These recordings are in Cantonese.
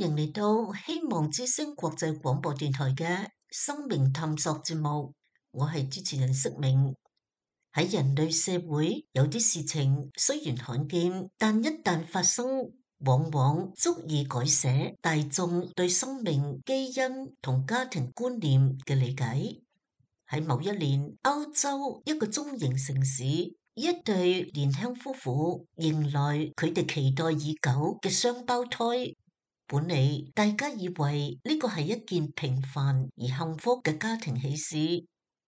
迎嚟到希望之聲國際廣播電台嘅生命探索節目，我係主持人釋明。喺人類社會，有啲事情雖然罕見，但一旦發生，往往足以改寫大眾對生命、基因同家庭觀念嘅理解。喺某一年，歐洲一個中型城市，一對年輕夫婦迎來佢哋期待已久嘅雙胞胎。本嚟大家以為呢個係一件平凡而幸福嘅家庭喜事，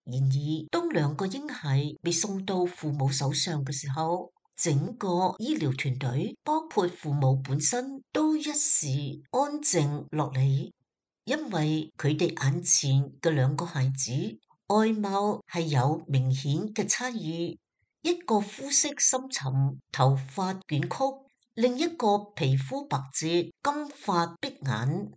然而當兩個嬰孩被送到父母手上嘅時候，整個醫療團隊，包括父母本身，都一時安靜落嚟，因為佢哋眼前嘅兩個孩子外貌係有明顯嘅差異，一個膚色深沉，頭髮捲曲。另一個皮膚白皙，金髮碧眼。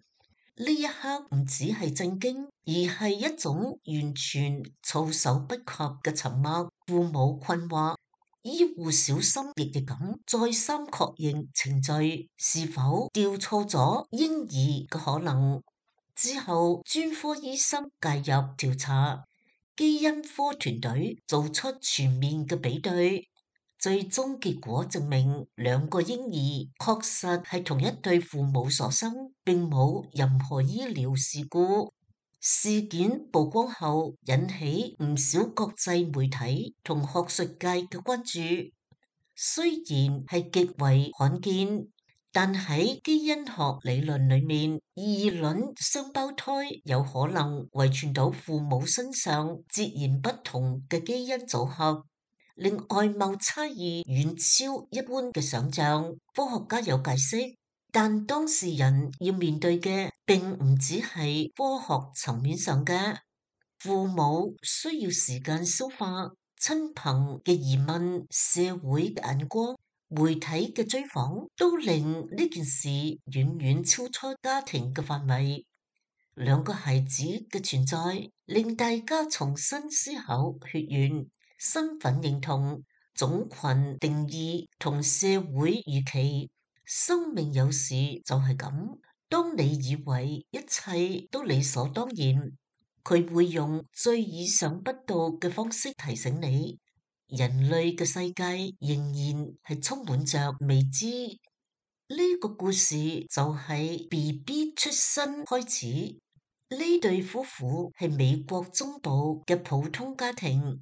呢一刻唔止係震驚，而係一種完全措手不及嘅沉默。父母困惑，醫護小心翼翼咁再三確認程序是否調錯咗嬰兒嘅可能。之後專科醫生介入調查，基因科團隊做出全面嘅比對。最終結果證明，兩個嬰兒確實係同一對父母所生，並冇任何醫療事故。事件曝光後，引起唔少國際媒體同學術界嘅關注。雖然係極為罕見，但喺基因學理論裏面，異卵雙胞胎有可能遺傳到父母身上截然不同嘅基因組合。令外貌差異遠超一般嘅想象，科學家有解釋，但當事人要面對嘅並唔只係科學層面上嘅，父母需要時間消化，親朋嘅疑問、社會嘅眼光、媒體嘅追訪，都令呢件事遠遠超出家庭嘅範圍。兩個孩子嘅存在，令大家重新思考血緣、身份認同、種群定義同社會預期。生命有時就係咁，當你以為一切都理所當然，佢會用最意想不到嘅方式提醒你，人類嘅世界仍然係充滿着未知。呢個故事就係 BB 出生開始。呢對夫婦係美國中部嘅普通家庭，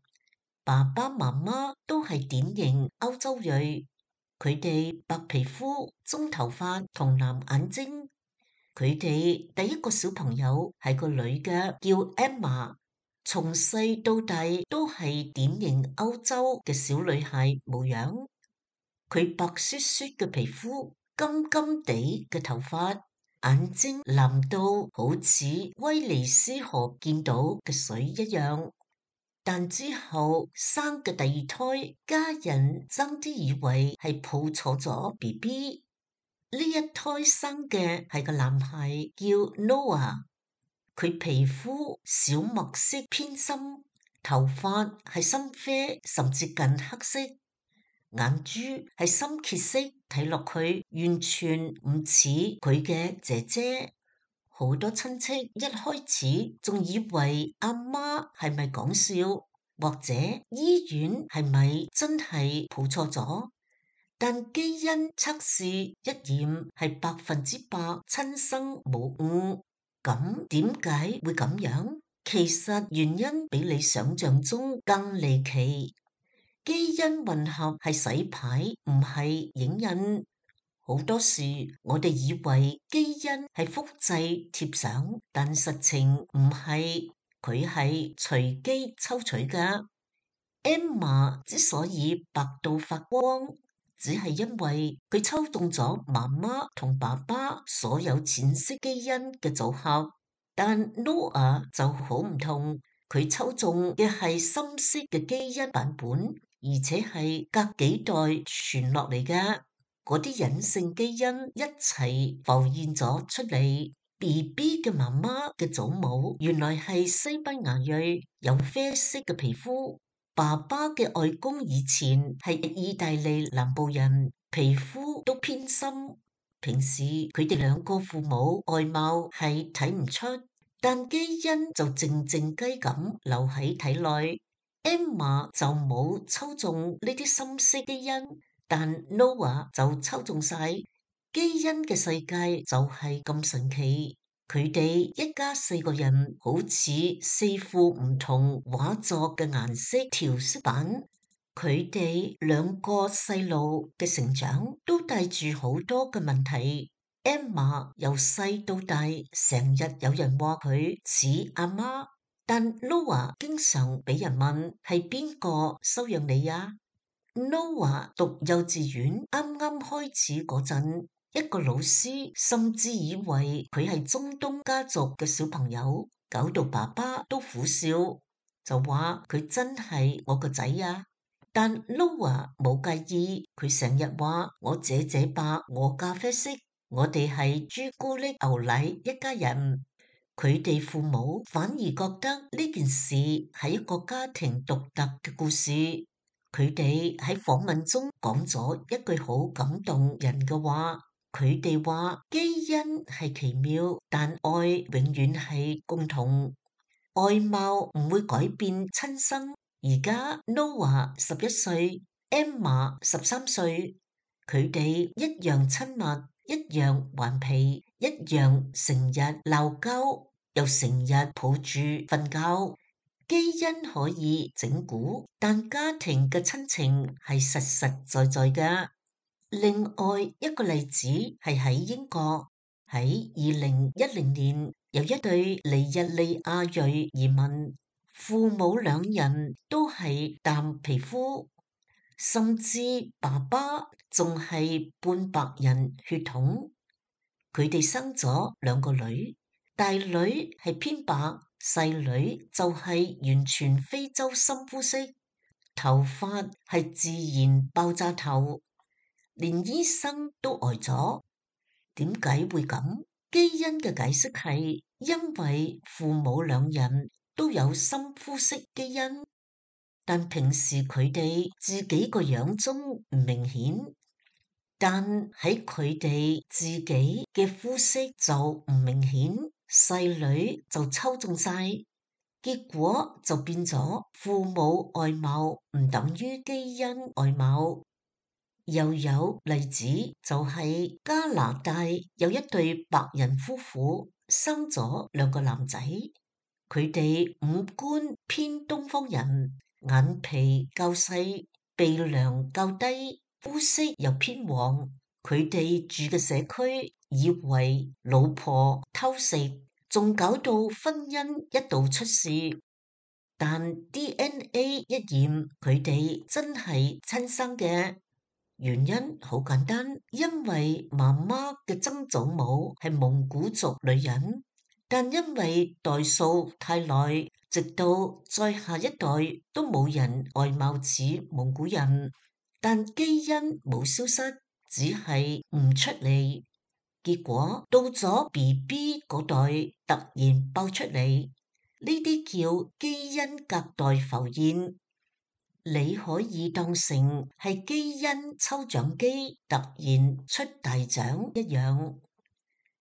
爸爸媽媽都係典型歐洲裔，佢哋白皮膚、棕頭髮同藍眼睛。佢哋第一個小朋友係個女嘅，叫 Emma，從細到大都係典型歐洲嘅小女孩模樣。佢白雪雪嘅皮膚，金金地嘅頭髮。眼睛藍到好似威尼斯河見到嘅水一樣，但之後生嘅第二胎，家人爭啲以為係抱錯咗 BB。呢一胎生嘅係個男孩，叫 Noah。佢皮膚小麥色偏深，頭髮係深啡甚至近黑色。眼珠係深褐色，睇落去完全唔似佢嘅姐姐。好多親戚一開始仲以為阿媽係咪講笑，或者醫院係咪真係抱錯咗？但基因測試一驗係100%親生無誤。咁點解會咁樣？其實原因比你想象中更離奇。基因混合係洗牌，唔係影印。好多時我哋以為基因係複製貼上，但實情唔係，佢係隨機抽取㗎。Emma 之所以白到發光，只係因為佢抽中咗媽媽同爸爸所有淺色基因嘅組合，但 Noah 就好唔同，佢抽中嘅係深色嘅基因版本。而且係隔幾代傳落嚟嘅，嗰啲隱性基因一齊浮現咗出嚟。BB 嘅媽媽嘅祖母原來係西班牙裔，有啡色嘅皮膚。爸爸嘅外公以前係意大利南部人，皮膚都偏深。平時佢哋兩個父母外貌係睇唔出，但基因就靜靜雞咁留喺體內。Emma 就冇抽中呢啲深色基因，但 Noah 就抽中晒。基因嘅世界就係咁神奇。佢哋一家4個人好似4副唔同畫作嘅顏色調色板。佢哋兩個細路嘅成長都帶住好多嘅問題。Emma 由細到大，成日有人話佢似阿媽，但 Noah 經常俾人問係邊個收養你啊？Noah 讀幼稚園啱啱開始嗰陣，一個老師甚至以為佢係中東家族嘅小朋友，搞到爸爸都苦笑，就話佢真係我個仔啊！但 Noah 冇介意，佢成日話我姐吧，我咖啡色，我哋係朱古力牛奶一家人。佢哋父母反而覺得呢件事係一個家庭獨特嘅故事。佢哋喺訪問中講咗一句好感動人嘅話，佢哋話基因係奇妙，但愛永遠係共同。外貌唔會改變親生。而家 Noah 11歲，Emma 13歲，佢哋一樣親密，一樣頑皮，一樣成日鬧交，又成日抱住瞓覺。基因可以整蠱，但家庭嘅親情係實實在在嘅。另外一個例子係喺英國，喺2010年有一對尼日利亞裔移民，父母兩人都係淡皮膚，甚至爸爸仲係半白人血統。佢哋生咗2個女，大女係偏白，細女就係完全非洲深膚色，頭髮係自然爆炸頭，連醫生都呆咗。點解會咁？基因嘅解釋係因為父母兩人都有深膚色基因，但平時佢哋自己個樣中唔明顯，但喺佢哋自己嘅膚色就唔明顯，細女就抽中晒，結果就變咗父母外貌唔等於基因外貌。又有例子就係加拿大有一對白人夫婦生咗2個男仔，佢哋五官偏東方人，眼皮較細，鼻梁較低，膚色又偏黃。佢哋住嘅社區以為老婆偷食，仲搞到婚姻一度出事。但 DNA 一驗，佢哋真係親生嘅。原因好簡單，因為媽媽嘅曾祖母係蒙古族女人，但因為代數太耐，直到再下一代都冇人外貌似蒙古人，但基因冇消失，只係唔出嚟。結果到咗 BB 嗰代突然爆出嚟，呢啲叫基因隔代浮現。你可以當成係基因抽獎機突然出大獎一樣。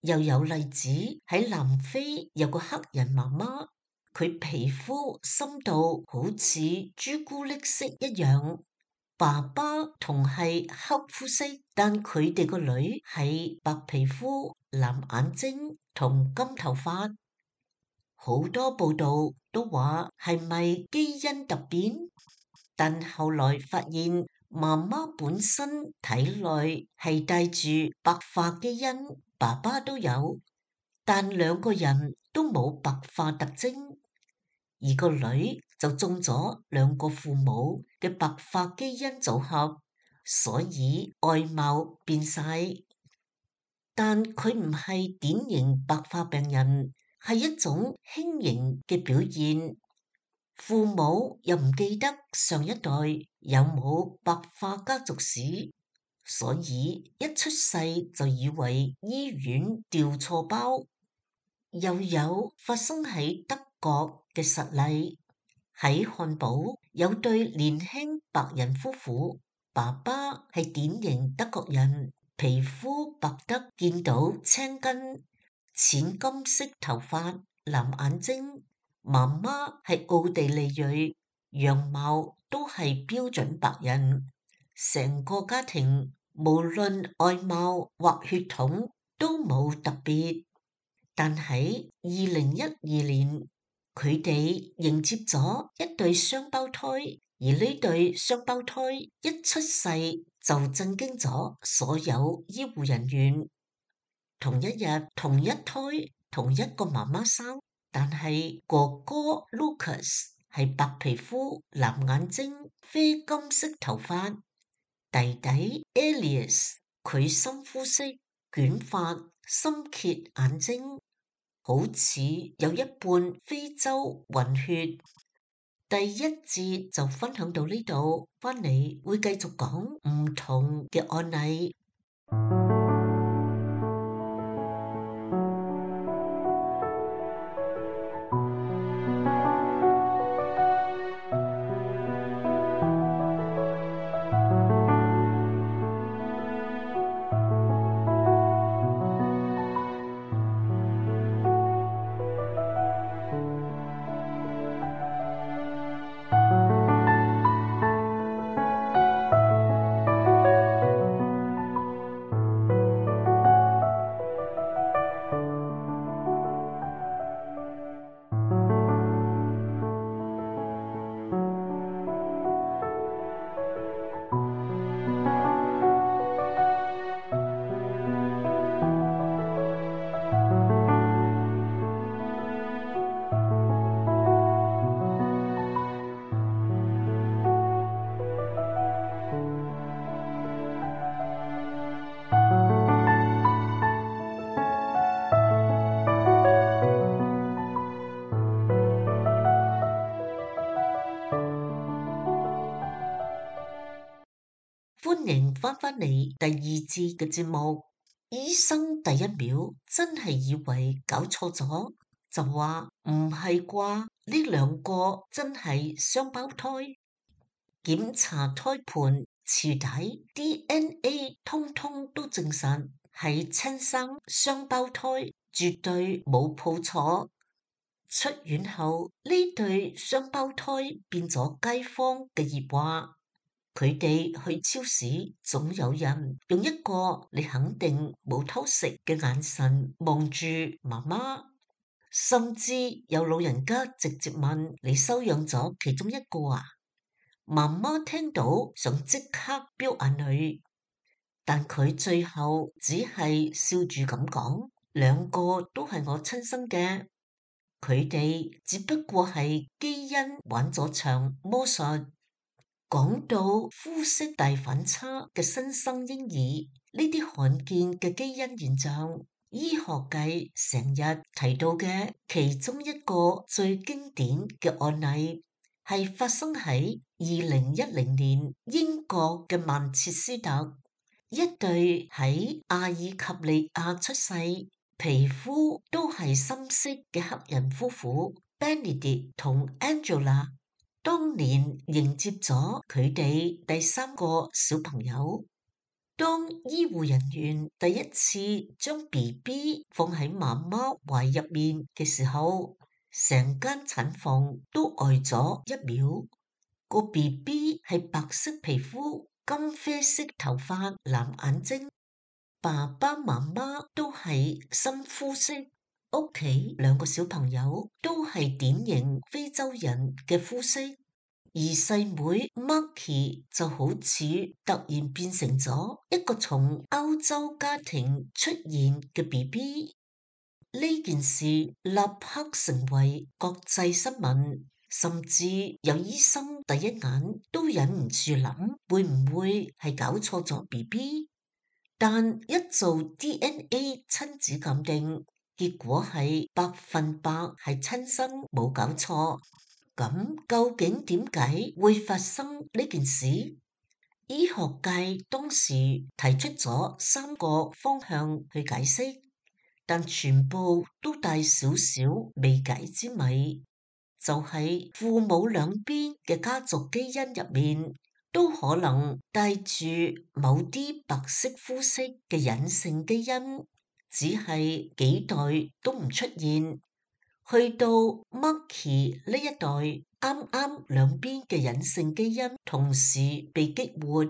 又有例子喺南非有個黑人媽媽，佢皮膚深度好似朱古力色一樣，爸爸同係黑膚色，但佢哋個女係白皮膚、藍眼睛同金頭髮。好多報道都話係咪基因突變？但後來發現媽媽本身體內係帶住白髮基因，爸爸都有，但2個人都冇白髮特徵，而個女就中咗2個父母嘅白髮基因組合，所以外貌變晒。但佢唔係典型白髮病人，係一種輕盈嘅表現。父母又唔記得上一代有冇白髮家族史，所以一出世就以為醫院調錯包。又有發生喺德國嘅實例，喺漢堡有對年輕白人夫婦，爸爸係典型德國人，皮膚白得見到青筋，淺金色頭髮，藍眼睛。媽媽係奧地利裔，樣貌都係標準白人。成個家庭無論外貌或血統都冇特別。但喺2012年，佢哋迎接咗一對雙胞胎，而呢對雙胞胎一出世就震驚咗所有醫護人員。同一日，同一胎，同一個媽媽生，但係哥哥 Lucas 係白皮膚、藍眼睛、啡金色頭髮，弟弟 Elias 佢深膚色、捲髮、深褐眼睛。好似有一半非洲混血。第一節就分享到呢度，返嚟會繼續講唔同嘅案例。歡迎返返嚟第二節嘅節目。醫生第一秒真係以為搞錯咗，就話唔係啩？呢兩個真係雙胞胎。檢查胎盤、臍帶、DNA，通通都證實係親生雙胞胎，絕對冇抱錯。出院後，呢對雙胞胎變咗街坊嘅熱話。佢哋去超市，總有人用一個你肯定冇偷食嘅眼神望住媽媽，甚至有老人家直接問：你收養咗其中一個啊？媽媽聽到想即刻飆眼淚，但佢最後只係笑住咁講：兩個都係我親生嘅，佢哋只不過係基因玩咗場魔術。講到膚色大反差嘅新生嬰兒，呢啲罕見嘅基因現象，醫學界成日提到嘅其中一個最經典嘅案例，係發生喺2010年英國嘅曼徹斯特，一對喺阿爾及利亞出世、皮膚都係深色嘅黑人夫婦 Benedict 同 Angela。當年迎接咗佢哋第三個小朋友。當醫護人員第一次將 BB 放喺媽媽懷入面嘅時候，成間產房都呆咗一秒。個 BB 係白色皮膚、金啡色頭髮、藍眼睛，爸爸媽媽都係深膚色，屋企兩個小朋友都係典型非洲人嘅膚色。而細妹 Marky 就好似突然變成咗一個從歐洲家庭出現嘅 BB。呢件事立刻成為國際新聞，甚至有醫生第一眼都忍唔住諗，會唔會係搞錯咗 BB？但一做 DNA 親子鑑定，結果係100%係親生，冇搞錯。咁究竟點解會發生呢件事？醫學界當時提出咗3個方向去解釋，但全部都帶少少未解之謎，就係父母兩邊嘅家族基因入面都可能帶住某啲白色膚色嘅隱性基因，只係幾代都唔出現。去到 Marky 呢一代，啱啱兩邊嘅隱性基因同時被激活，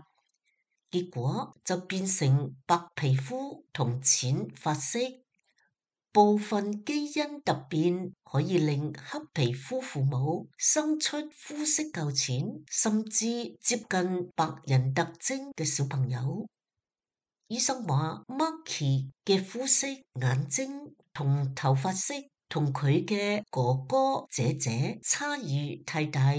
結果就變成白皮膚同淺髮色。部分基因突變可以令黑皮膚父母生出膚色較淺，甚至接近白人特徵嘅小朋友。醫生話 Marky 嘅膚色、眼睛同頭髮色同佢嘅哥哥姐姐差異太大，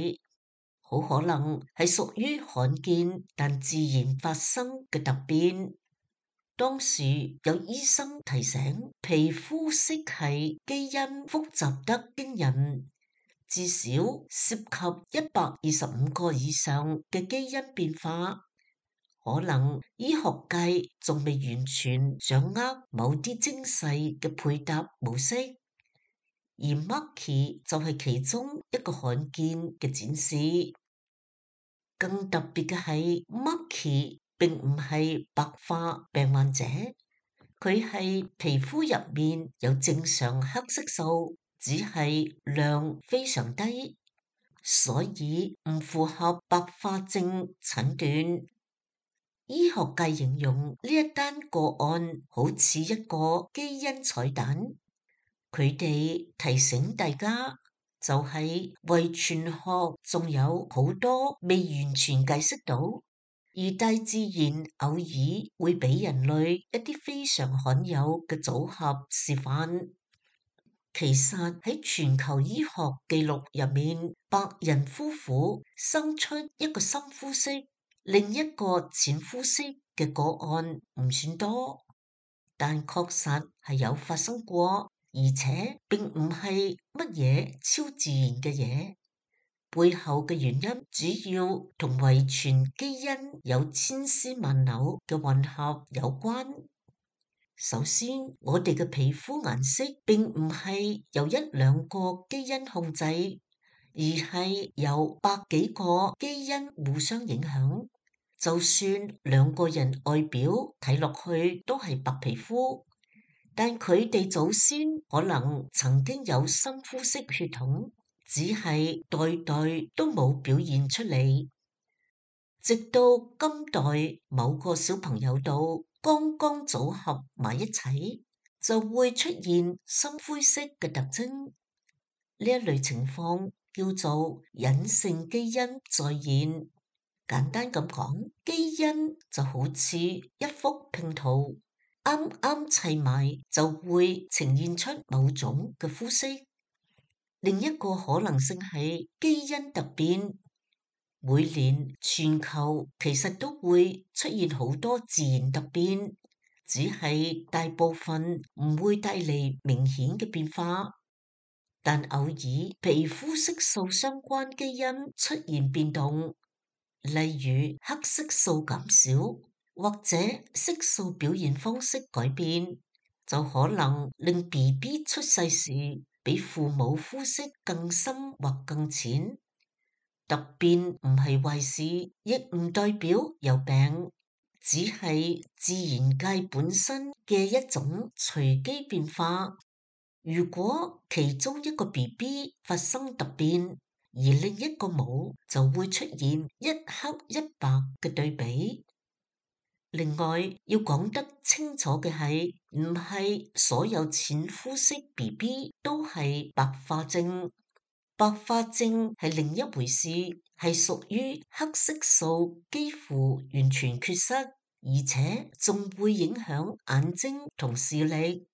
好可能係屬於罕見但自然發生嘅突變。當時有醫生提醒，皮膚色系基因複雜得驚人，至少涉及125個以上嘅基因變化。可能醫學界仲未完全掌握某啲精細嘅配搭模式，而 Marky 就係其中一個罕見嘅展示。更特別嘅係 Marky 並唔係白化病患者。佢係皮膚入面有正常黑色素，只係量非常低，所以唔符合白化症診斷。醫學界形容呢一單個案好似一個基因彩蛋，佢哋提醒大家，就係遺傳學仲有好多未完全解釋到。而大自然偶爾會俾人類一啲非常罕有嘅組合示範。其實喺全球醫學記錄入面，白人夫婦生出一個深膚色，另一個淺膚色嘅個案唔算多，但確實係有發生過，而且並唔係乜嘢超自然嘅嘢。背後嘅原因主要同遺傳基因有千絲萬縷嘅混合有關。首先，我哋嘅皮膚顏色並唔係由一兩個基因控制，而係由百幾個基因互相影響。就算兩個人外表睇落去都係白皮膚，但佢哋祖先可能曾經有深膚色血統。只係代代都冇表現出嚟，直到今代某個小朋友度剛剛組合埋一齊，就會出現深灰色嘅特徵。呢一類情況叫做隱性基因再現。簡單咁講，基因就好似一幅拼圖，啱啱砌埋就會呈現出某種嘅膚色。另一個可能性係基因突變。每年全球其實都會出現好多自然突變，只係大部分唔會帶嚟明顯嘅變化，但偶爾皮膚色素相關基因出現變動，例如黑色素減少或者色素表現方式改變，就可能令 BB 出世時比父母膚色更深或更淺。突變唔係壞事，亦唔代表有病，只係自然界本身嘅一種隨機變化。如果其中一個 BB 發生突變，而另一個冇，就會出現一黑一白嘅對比。另外要講得清楚嘅係，唔係所有淺膚色 BB 都係白化症。白化症係另一回事，係屬於黑色素幾乎完全缺失，而且仲會影響眼睛同視力。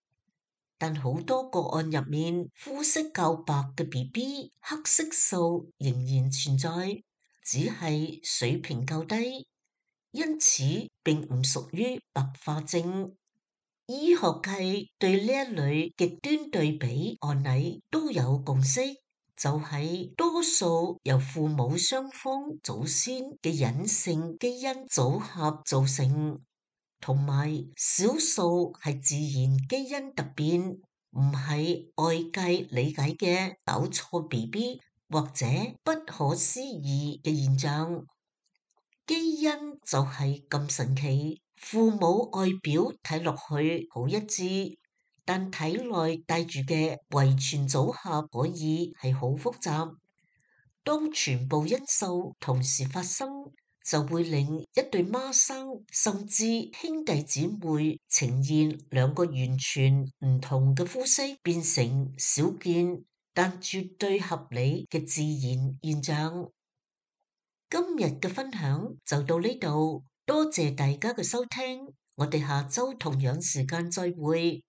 但好多個案入面，膚色較白嘅 BB，黑色素仍然存在，只係水平較低。因此並唔屬於白化症。醫學界對呢一類極端對比案例都有共識，就係多數由父母雙方祖先嘅隱性基因組合造成，同埋少數係自然基因突變，唔係外界理解嘅搞錯 BB 或者不可思議嘅現象。基因就係咁神奇，父母外表睇落去好一致，但體內帶住嘅遺傳組合可以係好複雜。當全部因素同時發生，就會令一對孖生甚至兄弟姊妹呈現兩個完全唔同嘅膚色，變成少見但絕對合理嘅自然現象。今日嘅分享就到呢度，多謝大家嘅收聽，我哋下周同樣時間再會。